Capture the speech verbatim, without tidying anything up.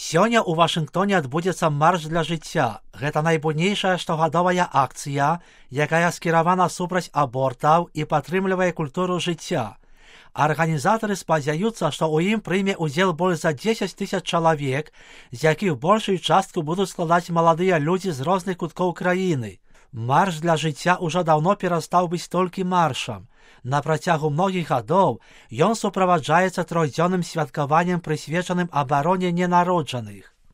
Сёння ў Вашынгтоне адбудзецца марш для жыцця. Гэта найбуйнейшая штогадовая акцыя, якая скіравана супраць абортаў і падтрымлівае культуру жыцця. Арганізатары спадзяюцца, што ў ім прыме ўдзел больш за дзесяць тысяч чалавек, з якіх большую частку будуць складаць маладыя людзі з розных куткоў краіны. Марш для жыцця ўжо даўно перастаў быць толькі маршам. На працягу многіх гадоў ён суправаджаецца трохдзённым святкаваннем, прысвечаным абароне ненароджаных.